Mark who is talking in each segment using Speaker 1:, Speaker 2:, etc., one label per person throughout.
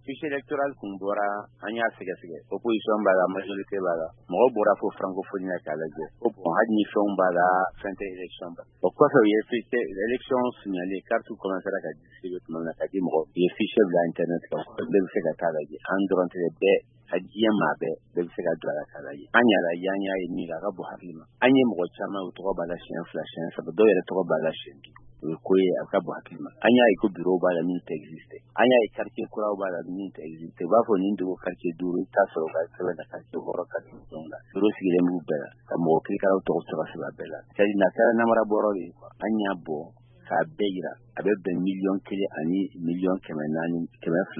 Speaker 1: Fichier électoral kun bɔra, an y'a sɛgɛsɛgɛ, opposition b'a la, majorité b'a la, mɔgɔ bɔra fo francophonie na k'a lajɛ ko bon, hali ni fɛnw b'a la, fɛn tɛ élection ba. O kɔfɛ, u ye fichier élection signalé, carte commencera ka distribuer tuma min na ka di mɔgɔw, u ye fichier bila internet kan, bɛɛ bɛ se ka taa lajɛ. An dɔrɔn tɛ, bɛɛ a diɲɛ maa bɛɛ, bɛɛ bɛ se ka don a la k'a lajɛ. An y'a lajɛ, an y'a ye min a ka bon hakili ma. An ye mɔgɔ caman, u tɔgɔ b'a la siɲɛ fila, siɲɛ saba, dɔw yɛrɛ tɔgɔ b'a la siɲɛ duuru. O ye ko ye a ka bon hakili ma. An y'a ye ko bureau b'a la min tɛ existe. An y'a ye quartier kuraw b'a la min tɛ existe. U b'a fɔ nin dugu quartier duuru, i t'a sɔrɔ u ka sɛbɛn na quartier wɔɔrɔ, quartier fɛnw la. Bureau sigilen b'u bɛɛ la ka mɔgɔ kirikaraw tɔgɔ sɛbɛn sɛbɛn bɛɛ la. C'est à dire n'a kɛra namara bɔrɔ de ye quoi. An y'a bɔ k'a bɛɛ yira, a bɛ bɛn 1 400 000 000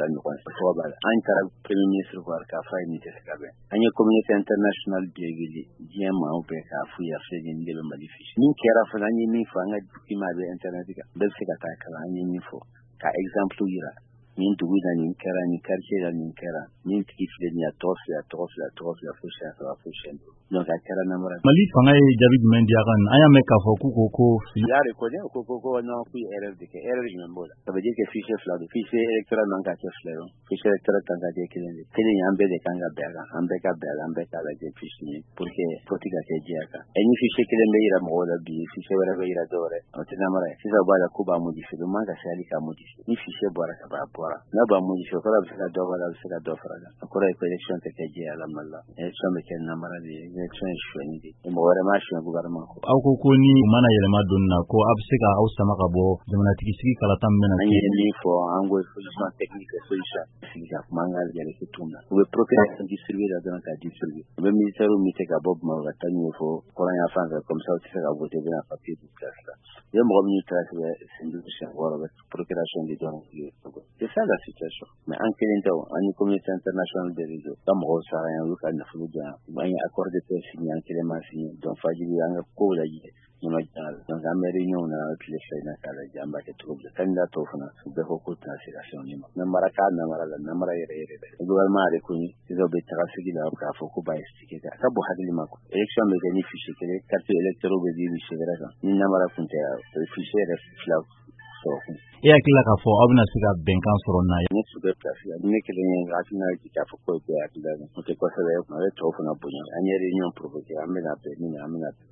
Speaker 1: ɲɔgɔn tɔgɔ b'a la. An taara premier ministre kɔrɔ k'a fɔ a ye nin tɛ se ka bɛn. An ye communauté internationale bɛɛ wele, diɲɛ maaw bɛɛ, k'a f'u ye a filɛ nin de bɛ Mali fiche. Min kɛra fana, an ye min fɔ, an ka document bɛ internet kan, bɛɛ bɛ se ka taa kalan. An ye min fɔ ka exemple yira, nin dugu la nin kɛra, nin quartier la nin kɛra, nin tigi filɛ nin ye, a tɔgɔ filɛ, a tɔgɔ filɛ, a tɔgɔ filɛ, fo siɲɛ saba, fo siɲɛ duuru. Donc a kɛra namara.
Speaker 2: Mali fanga ye jaabi jumɛn di a kan? An y'a mɛn k'a fɔ k'u ko ko
Speaker 1: Il a reconnu ko non, k'u ye erreur de kɛ. Erreur jumɛn b'o la? Ça veut dire que fichier fila don. Fichier électoral man ka kɛ fila ye, fichier électoral kan ka kɛ kelen de. Kelen an bɛɛ de kan ka bɛn a kan, an bɛɛ ka bɛn a la, an bɛɛ k'a lajɛ fiche ye pour que vote ka kɛ jɛya kan. Ɛ ni fichier kelen bɛ yira mɔgɔw la bi, fichier wɛrɛ bɛ yira dɔw wɛrɛ, o tɛ namara ye. Sisan u b'a la k'u b'a modifier, o man ka se hali k'a modifier. Ni fichier bɔra ka ban, a bɔra. N'a b'a modifier, o kɔrɔ a bɛ se ka dɔ bɔ a la, a bɛ se ka dɔ fara a kan. O kɔrɔ ye ko élection tɛ kɛ jɛya la Mali la. Élection bɛ kɛ namara de ye, élection ye sonyani de ye. Mɔgɔ wɛrɛ m'a suɲɛ gouvernement kɔ.
Speaker 2: Aw ko ko ni u mana yɛlɛma don na, ko a bɛ se ka aw sama ka bɔ jamanatigi sigi kalata min bɛna
Speaker 1: An ye min fɔ, an ko solution technique, solution sigi ka kuma, an ka yɛrɛ cogo min na. U bɛ procuration distribuer la dɔrɔn k'a distribuer. U bɛ militaires muter ka bɔ Bamakɔ ka taa n'u ye fo kɔrɔnya fan fɛ, comme ça u tɛ se ka voter, u bɛna papier di place la. U ye mɔgɔ minnu transfert siɲɛ duuru, siɲɛ wɔɔrɔ, u bɛ procuration di dɔrɔn. C'est ça la situation. Mais an kelen tɛ o, an ni communauté internationale bɛɛ de don. Ka mɔgɔw sara yan, olu ka nafolo di yan. An ye accord de paix signé, an kelen ma signé. Donc fajiri an ka kow lajɛ. Donc an bɛ réunion na tile 2 in na k'a lajɛ an b'a kɛ cogo di. Candidat tɔw fana, u bɛɛ ko k'u tɛna se ka se nin ma. Namara k'a namara la, namara yɛrɛ yɛrɛ dɛ. Gouvernement a reconnu, sisan u bɛ taga sigi la k'a fɔ k'u b'a expliquer. A ka bon hakili ma quoi. Élection bɛ kɛ ni fichier kelen, carte électorale bɛ di fichier wɛrɛ kan. Ni namara kun tɛ, fichier yɛrɛ fila sɔrɔ kun.
Speaker 2: E hakili la k'a fɔ aw bɛna se ka bɛnkan sɔrɔ n'a ye?
Speaker 1: Ne tun bɛ place la, ne kelen ye hakilina ye k'a fɔ ko bɛɛ hakilina ye. O tɛ kosɛbɛ, a bɛ tɔw fana bonya. An ye réunion provoqué, an bɛna bɛn min na, an bɛna bɛn.